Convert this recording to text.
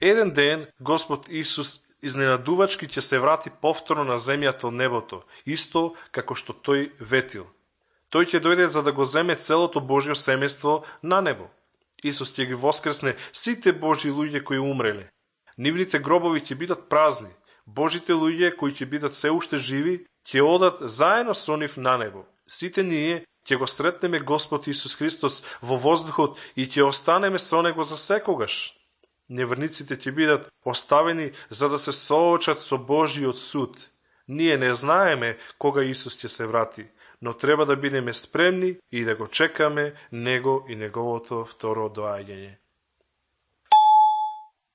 Еден ден Господ Исус изненадувачки ќе се врати повторно на земјата од небото, исто како што тој ветил. Тој ќе дојде за да го земе целото Божјо семејство на небо. Исус ќе ги воскресне сите Божји луѓе кои умреле. Нивните гробови ќе бидат празни. Божите луѓе кои ќе бидат се уште живи ќе одат заедно со нив на небо. Сите ние ќе го сретнеме Господ Исус Христос во воздухот и ќе останеме со него за секогаш. Неверниците ќе бидат оставени за да се соочат со Божјиот суд. Ние не знаеме кога Исус ќе се врати, но треба да бидеме спремни и да го чекаме Него и Неговото второ доаѓање.